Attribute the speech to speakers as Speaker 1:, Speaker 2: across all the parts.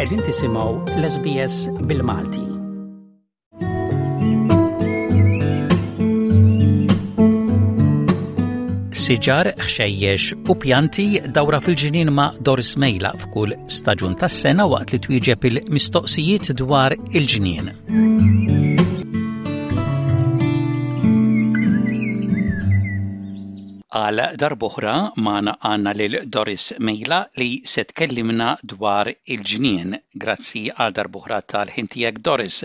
Speaker 1: Qegħdin tisimgħu l-SBS bil-Malti. Siġar, ħxejjex u pjanti dawra fil-ġnien ma' Doris Mejla f'kull staġun tas-sena waqt li twieġeb il-mistoqsijiet dwar il-ġnien. Għal darb'oħra magħna għandna lil Doris Mejla li se tkellimna dwar il-ġnien. Grazzi għal darb'oħra tal-ħin tiegħek Doris.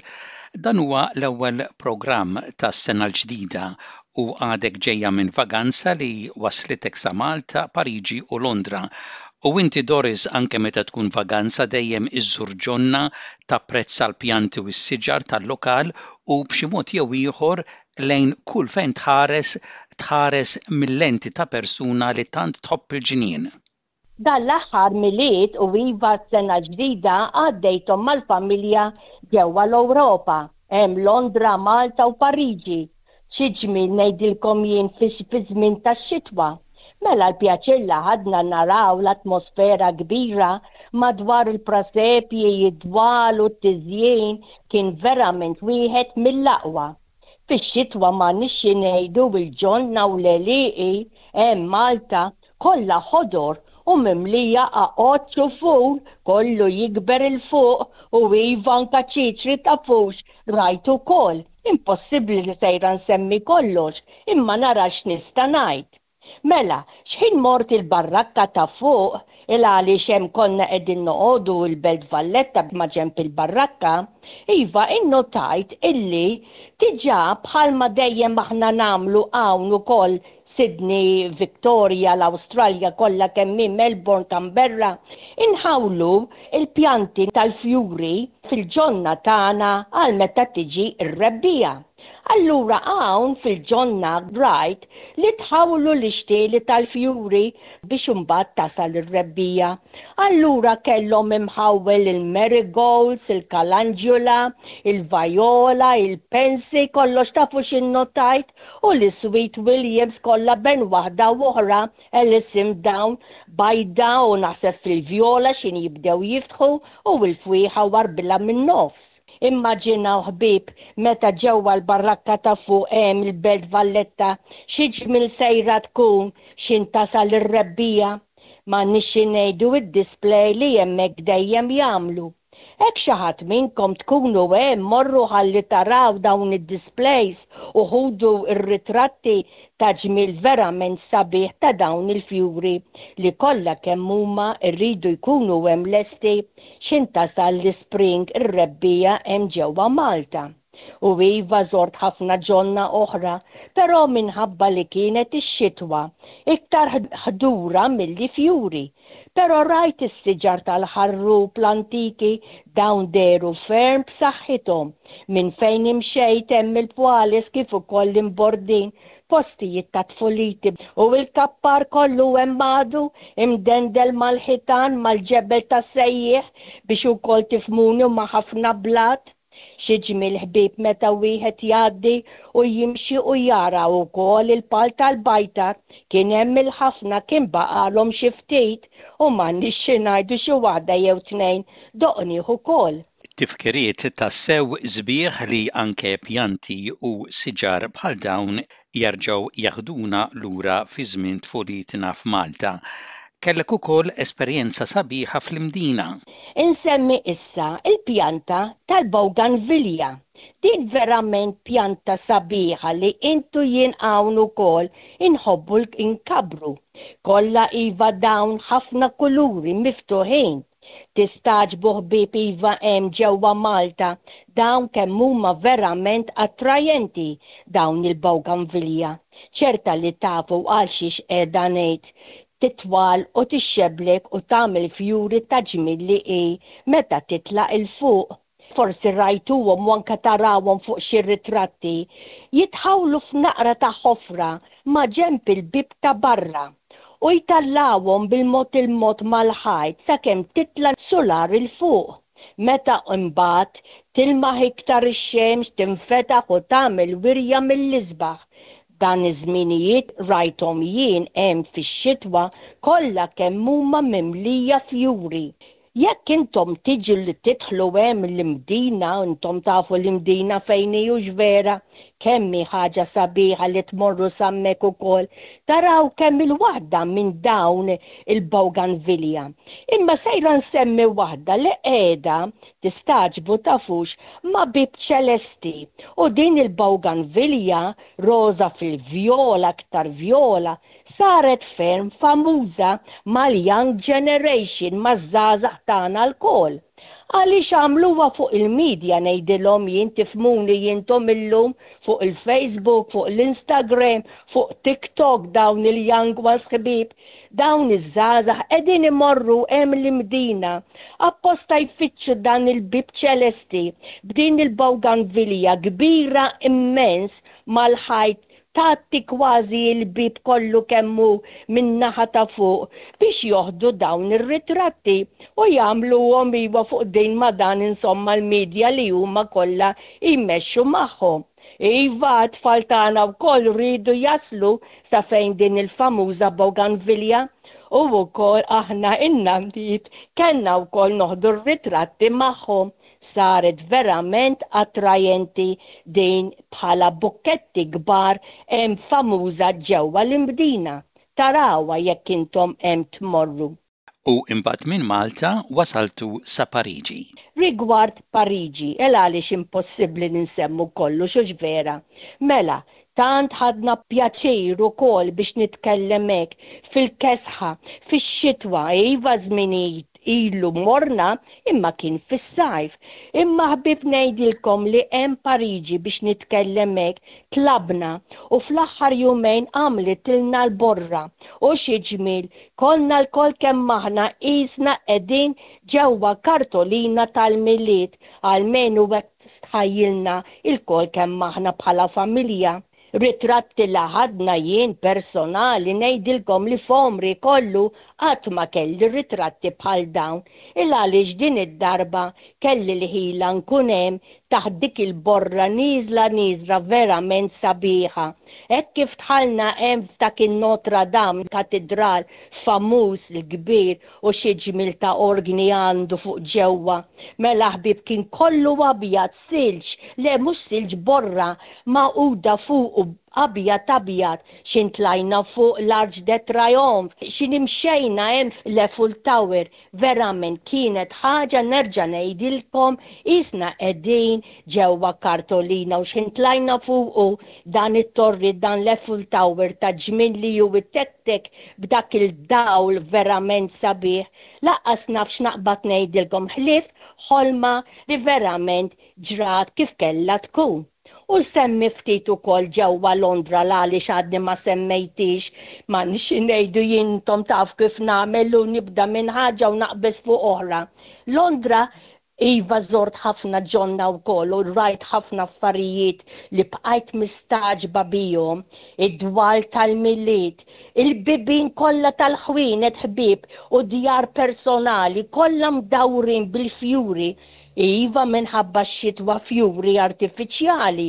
Speaker 1: Dan huwa l-ewwel programm tas-sena l-ġdida u għadek ġejja minn vaganza li wasslitek sa Malta, Pariġi u Londra. U inti Doris anke meta tkun vaganza dejjem iżżur ġonna, tapprezza l-pjanti u s-siġar tal-lokal u b'xi mod jew ieħor lejn kull fejn tħares, tħares mil-lenti ta' persuna li tant tħobb il-ġnien.
Speaker 2: Dan l-aħħar Milied u iva s-sena l-ġdida għaddejthom mal-familja ġewwa l-Ewropa, hemm Londra, Malta u Pariġi. Xi ġmiel ngħidilkom jien fiż-żmien tax-xitwa. Mela l-pjaċir li ħadna naraw l-atmosfera kbira madwar il-prasepji, id-dwal u t-tiżjin kien verament wieħed mill-aqwa. Fix-xitwa m'għandniex xi ngħidu il-ġonna u l-għelieqi hemm Malta kollha ħodor u mimlija qaqoċċ u ful kollu jikber 'il fuq u iva anka ċiċri tafux rajt ukoll. Impossibbli li sejra nsemmi kollox imma nara x'nista' ngħid. Mela, x'ħin mort il-barrakka ta' fuq, il għaliex hemm konna qegħdin noqogħdu il-Belt Valletta maġenb il-barrakka, iva innotajt illi diġà bħalma dejjem aħna nagħmlu hawn ukoll Sydney, Victoria, l-Awstralja kollha kemm hi, Melbourne, Canberra, inħawlu l-pjanti tal-fjuri fil-ġonna tagħna għal meta tiġi r-rebbiegħa. Allura hawn fil-ġonna rajt li tħawlu l-ixtieli tal-fjuri biex imbagħad tasal ir-rebbiegħa. Allura kellhom imħawwel il-marigolds, il-kalanġula, il-vajola, il-pansy, kollox tafu x'innotajt? U l-sweet williams kollha bejn waħda u oħra, Alison dawn bajda u naħseb fil-vjola x'in jibdew jiftħu u l-fwieħa warbilha min-nofs. Immaġinaw ħbieb meta ġewwa l-barrakka ta' fuq hemm il-Belt Valletta xi ġmiel sejra tkun x'in tasal ir-rebbiegħa. M'għandniex xi ngħidu id-display li hemmhekk dejjem jagħmlu. Hekk xi ħadd minnkom tkunu hemm morru ħalli taraw dawn id-displays u ħudu r-ritratti ta' ġmiel verament sabiħ ta' dawn il-fjuri li kollha kemm huma rridu jkunu hemm lesti x'ħin tasal l-ispring ir-rebbiegħa hemm ġewwa Malta. U iva żort ħafna ġonna oħra, però minħabba li kienet ix-xitwa, iktar ħdura milli fjuri. Però rajt is-siġar tal-ħarrub l-antiki, dawn dehru ferm b'saħħithom. Minn fejn imxejt hemm il-pwales kif ukoll l-imbordin, postijiet ta' tfuliti u l-kappar kollu hemm għadu, imdendel mal-ħitan, mal-ġebel tas-sejjieħ biex ukoll tifhmuni u ma' ħafna blat. Xi ġmiel ħbieb meta wieħed jgħaddi u jimxi u jara wkoll il-pal tal-bajtar, kien hemm il-ħafna kien baqgħalhom xi ftit u m'għandniex xi ngħidu xi waħda jew tnejn doqnieh ukoll.
Speaker 1: Tifkiriet tassew sbieħ li anke pjanti u siġar bħal dawn jerġgħu jeħduna lura fi żmien tfulitna f'Malta. Kellek ukoll esperjenza sabiħa fl-Imdina.
Speaker 2: Insemmi issa l-pjanta tal-bougainvillea. Din verament pjanta sabiħa li int u jien hawn ukoll inħobbu nkabbru. Kollha iva dawn ħafna kuluri miftuħin. Tistagħġbu ħbieb iva hemm ġewwa Malta dawn kemm huma verament attrajenti dawn il-bougainvillea. Ċerta li tafu għal xiex qiegħda ngħid. Titwal u tixxeblek u tagħmel fjuri ta' ġmiel li hi meta titla' 'l fuq. Forsi rajtuhom u anke tarawhom fuq xi ritratti, jitħawlu f'naqra ta' ħofra maġenb il-bieb ta' barra u jtallgħuhom bil-mod il-mod mal-ħajt sakemm titla' sular 'il fuq. Meta imbagħad tilmaħ iktar ix-xemx tinfetaħ u tagħmel wirja mill-isbaħ. Dan iż-żminijiet rajthom jien hemm fix-xitwa kollha kemm huma mimlija fjuri. Jekk intom tiġu li tidħlu hemm l-Imdina, intom tafu l-Imdina fejn hi hux vera, kemm hi ħaġa sabiħa li tmorru s'hemmhekk ukoll, taraw kemm il-waħda minn dawn il-bougainvillea. Imma sejra nsemmi waħda li qiegħda, tistagħġbu tafux, ma' Bieb Ċelesti. U din il-bougainvillea roża fil-vjola aktar vjola, Saret ferm famuża mal-young generation, maż-żgħażagħ tagħna lkoll. Għaliex għamluha fuq il-media ngħidilhom jien tifhmuni intom illum fuq il-Facebook, fuq l-Instagram, fuq TikTok dawn il-young ones ħbieb, dawn iż-żgħażagħ qegħdin imorru hemm l-Imdina apposta jfittxu dan il-bieb ċelesti b'din il-bougainvillea kbira immens mal-ħajt tgħatti kważi l-bieb kollu kemm hu min-naħa ta' fuq biex joħdu dawn ir-ritratti u jagħmluhom iwa fuq din ma' dan insomma l-media li huma kollha jmexxu magħhom. Iva, t-tfal tagħna wkoll riedu jaslu sa fejn din il-famuża bougainvillea u wkoll aħna in-nanniet kellna wkoll noħdu r-ritratti magħhom. Saret verament attrajenti din bħala bukketti kbar hemm famuża ġewwa l-Imdina. Tarawha jekk intom hemm tmorru.
Speaker 1: U imbagħad minn Malta wasaltu sa Pariġi.
Speaker 2: Rigward Pariġi, el għaliex impossibbli li nsemmu kollox hux vera? Mela, tant ħadna pjaċir ukoll biex nitkellem hekk, fil-kesħa, fix-xitwa, iva żminijiet ilu morna imma kien fis-sajf. Imma ħbieb ngħidilkom li hemm Pariġi biex nitkellem hekk tlabna u fl-aħħar jumejn għamlitilna l-borra. U xi ġmiel, konna lkoll kemm aħna qisna qegħdin ġewwa kartolina tal-Milied, almenu hekk stħajjilna lkoll kemm aħna bħala familja. Ritratti la ħadna jien personali ngħidilkom li f'għomri kollu qatt ma kelli ritratti bħal dawn il għaliex din id-darba kelli l-ħila nkun hemm taħt dik il-borra nieżla nieżla verament sabiħa. Hekk kif dħalna hemm f'dak in-Notre Dame katidral famuż l-kbir u xi ġmiel ta' orgni għandu fuq ġewwa. Mela ħbieb kien kollu abjad, silġ, le mhux silġ borra magħquda fuqu abjad abjad, x'in tlajna fuq l-Arc de Triomphe, x'in imxejna hemm l-Eiffel Tower, verament kienet ħaġa nerġa' ngħidilkom qisna qegħdin ġewwa kartolina u x'in tlajna fuqu dan it-torri dan l-Eiffel Tower ta' ġmiel li hu Tek b'dak il-dawl verament sabiħ, lanqas naf x'naqbad ngħidilkom ħlief ħolma li verament ġrat kif kellha tkun. U nsemmi ftit ukoll ġewwa Londra l-għaliex għadni ma semmejthiex, m'għandniex xi ngħidu jien intom tafu kif nagħmel u nibda minn ħaġa u naqbeż fuq oħra. Londra Iva żort ħafna ġonna wkoll u rajt ħafna affarijiet li bqajt mistagħġba bihom, id-dwal tal-Milied, il-bibien kollha tal-ħwienet ħbieb u djar personali kollha mdawrin bil-fjuri, iva minħabba x-xitwa fjuri artifiċjali,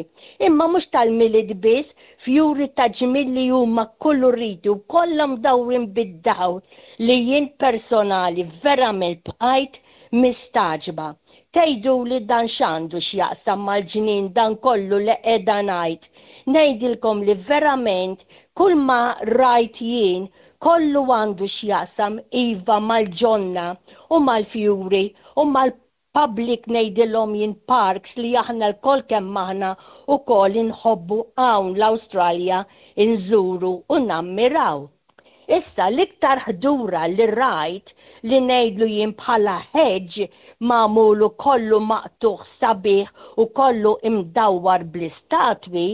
Speaker 2: imma mhux tal-Milied biss, fjuri ta' ġmiel li huma kkuluriti u kollha mdawrin bid-dawl li jien personali verament bqajt Mistagħġba. Tgħiduli dan x'għandu x'jaqsam mal-ġnien dan kollu li qiegħda ngħid. Ngħidilkom li verament kull ma rajt jien kollu għandu x'jaqsam iva mal-ġonna u mal-fjuri u mal-public ngħidilhom jien parks li aħna lkoll kemm aħna ukoll inħobbu hawn l-Awstralja inżuru u nammiraw. Issa l-iktar ħdura li rajt li ngħidlu jien bħala hedge magħmul u kollu maqtugħ sabiħ u kollu imdawwar bl-istatwi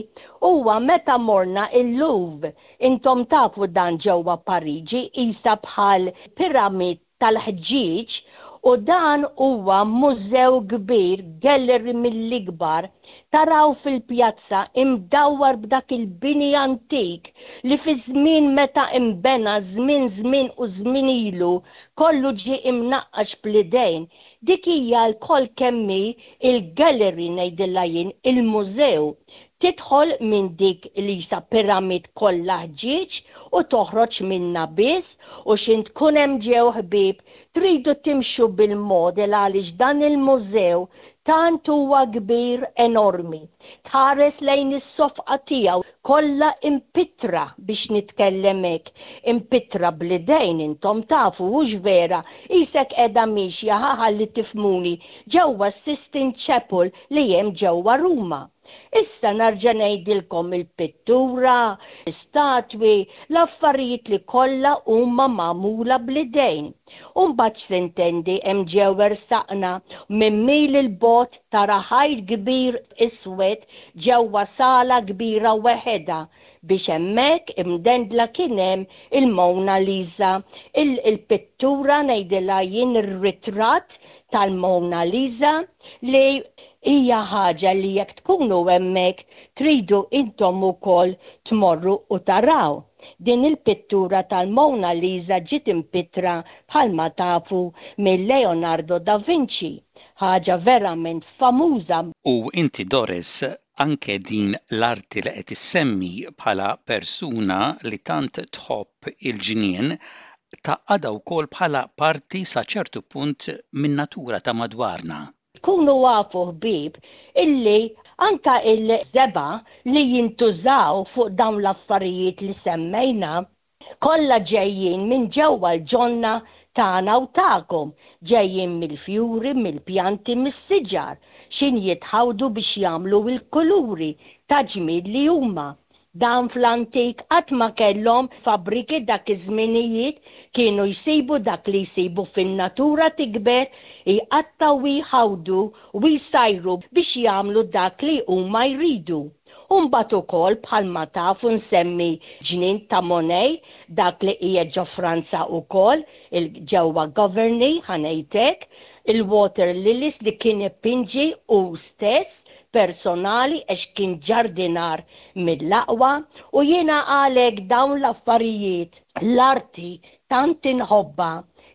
Speaker 2: huwa meta morna il-Louvre. Intom tafu dan ġewwa Pariġi qisha bħal pyramid tal-ħġieġ u dan huwa mużew kbir, gallery mill-ikbar Taraw fil-pjazza imdawwar b'dak il-bini antik li fi żmien meta inbena żmien żmien u żmien ilu kollu ġie imnaqqax bl-idejn. Dik hija lkoll kemm hi il-gallery ngħidilha jien, il-mużew. Tidħol minn dik li qisha pyramid kollha ħġieġ u toħroġ minnha biss u x'int tkun hemm ġew ħbieb tridu timxu bil-model għaliex dan il-mużew Tant huwa kbir enormi. Tħares lejn is-sofqa tiegħu kollha impittra biex nitkellem hekk, impittra bl-idejn intom tafu hux vera, qisek qiegħda miexja ħa ħalli tifhmuni, ġewwa s-Sistine Chapel li hemm ġewwa Ruma. Issa narġa' ngħidilkom il-pittura, l-istatwi, l-affarijiet li kollha huma magħmula bl-idejn. U mbagħad x'tintendi hemm ġew ersaqna minn mil 'il bogħod tara ħajt kbir iswed ġewwa sala kbira weħedha biex hemmhekk imdendla kien hemm il-Mona Lisa, il-pittura ngħidilha jien ir-ritratt tal-Mona Lisa li hija ħaġa li jekk tkunu hemmhekk tridu intom ukoll tmorru u taraw. Din il-pittura tal-Mona Lisa ġiet impittra bħalma tafu minn Leonardo da Vinci, ħaġa verament famuża.
Speaker 1: U inti Doris, anke din l-arti li qed issemmi bħala persuna li tant tħobb il-ġnien, tgħaqqadha wkoll bħala parti sa ċertu punt min-natura ta' madwarna.
Speaker 2: Tkunu afu ħbieb illi anka il-żebgħa li jintużaw fuq dawn l-affarijiet li semmejna, Kollha ġejjin minn ġewwa l-ġonna tagħna u tagħkom, ġejjin mill-fjuri, mill-pjanti, mis-siġar, x'in jitħawdu biex jagħmlu l-kuluri ta' ġmiel li huma. Dan fl-antik qatt ma kellhom fabbriki dak iż-żminijiet, kienu jsibu dak li jsibu fin-natura tikber, jqattgħu u jħawdu u jsajru biex jagħmlu dak li huma jridu. U mbagħad ukoll bħalma tafu nsemmi ġnien ta' Monet, dak li qiegħed ġo Franza ukoll, il ġewwa Giverny, ħa ngħid hekk, il-water lilies li kien ipinġi hu stess personali għax kien ġardinar mill-aqwa u jiena għalhekk dawn l-affarijiet, l-arti tant inħobbha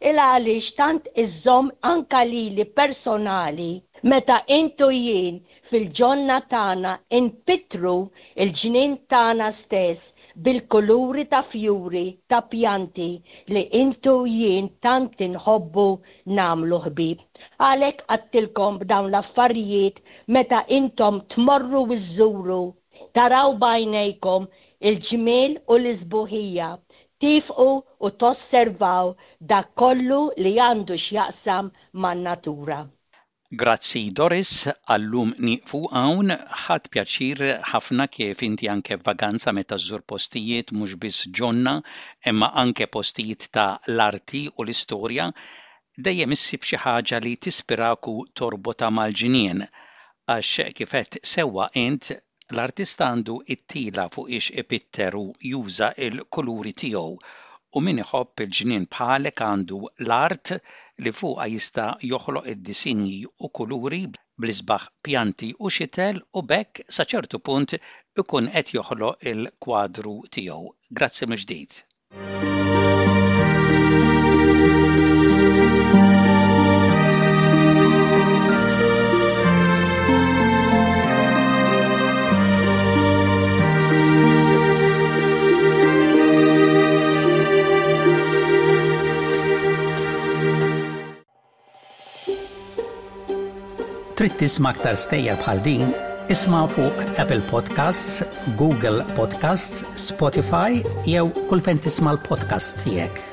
Speaker 2: il għaliex tant iżżomm anka lili personali meta int u jien Fil-ġonna tagħna npittru l-ġnien tagħna stess bil-kuluri ta' fjuri, ta' pjanti li int u jien tant inħobbu nagħmlu ħbieb. Għalhekk għadtilkom b'dawn l-affarijiet meta intom tmorru u żżuru, taraw b'għajnejkom il-ġmiel u l-isbuħija, tiefqu u tosservaw dak kollu li għandu x'jaqsam man-natura.
Speaker 1: Grazzi Doris, għal-lum nieqfu hawn. Ħadt pjaċir ħafna kif inti anke f'vaganza meta żżur postijiet mhux biss ġonna imma anke postijiet ta' l-arti u l-istorja, dejjem issib xi ħaġa li tispirak u torbotha mal-ġnien. Għax kif għedt sewwa int, L-artista għandu t-tila fuqiex ipitter u juża l-kuluri tiegħu u min iħobb il-ġnien bħalek għandu l-art li fuqha jista' joħloq id-disinji u kuluri bl-isbaħ pjanti u xitel u b'hekk sa ċertu punt ikun qed joħloq il-kwadru tiegħu. Grazzi mill-ġdid. Trid tisma' aktar stejjer bħal din? Isma' fuq Apple Podcasts, Google Podcasts, Spotify jew kull fejn tisma' l-podcasts tiegħek.